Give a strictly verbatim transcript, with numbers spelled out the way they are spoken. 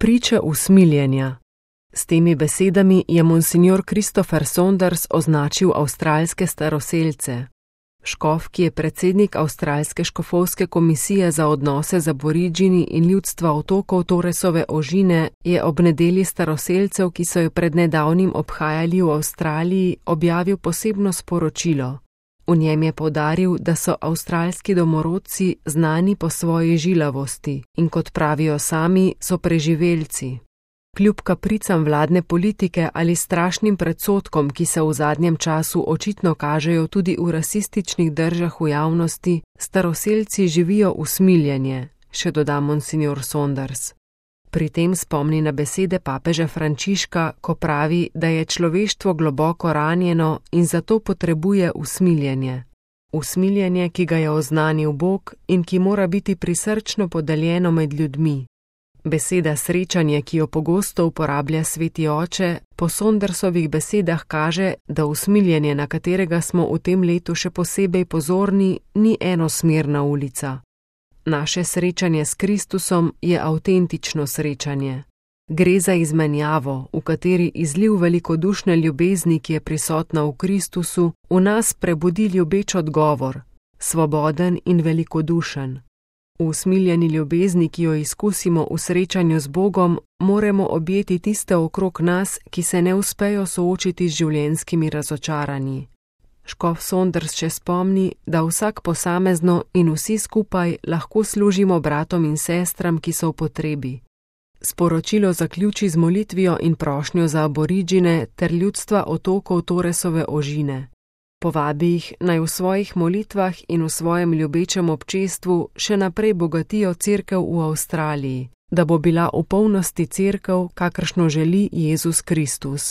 Priče usmiljenja. S temi besedami je monsignor Christopher Saunders označil avstralske staroselce. Škof, ki je predsednik Avstralske škofovske komisije za odnose z Aboridžini in ljudstva otokov Torresove ožine, je ob nedelji staroselcev, ki so jo pred nedavnim obhajali v Avstraliji, objavil posebno sporočilo. V njem je poudaril, da so avstralski domorodci znani po svoji žilavosti in, kot pravijo sami, so preživelci. Kljub kapricam vladne politike ali strašnim predsodkom, ki se v zadnjem času očitno kažejo tudi v rasističnih držah v javnosti, staroselci živijo usmiljenje, še doda monsignor Saunders. Pri tem spomni na besede papeža Frančiška, ko pravi, da je človeštvo globoko ranjeno in zato potrebuje usmiljenje. Usmiljenje, ki ga je oznanil Bog in ki mora biti prisrčno podeljeno med ljudmi. Beseda srečanje, ki jo pogosto uporablja sveti oče, po Saundersovih besedah kaže, da usmiljenje, na katerega smo v tem letu še posebej pozorni, ni enosmerna ulica. Naše srečanje s Kristusom je avtentično srečanje. Gre za izmenjavo, v kateri izliv velikodušne ljubezni, ki je prisotna v Kristusu, v nas prebudi ljubeč odgovor, svoboden in velikodušen. V usmiljeni ljubezni, ki jo izkusimo v srečanju z Bogom, moramo objeti tiste okrog nas, ki se ne uspejo soočiti z življenjskimi razočaranji. Škof Saunders še spomni, da vsak posamezno in vsi skupaj lahko služimo bratom in sestram, ki so v potrebi. Sporočilo zaključi z molitvijo in prošnjo za Aboridžine ter ljudstva otokov Torresove ožine. Povabi jih, naj v svojih molitvah in v svojem ljubečem občestvu še naprej bogatijo cerkev v Avstraliji, da bo bila v polnosti cerkev, kakršno želi Jezus Kristus.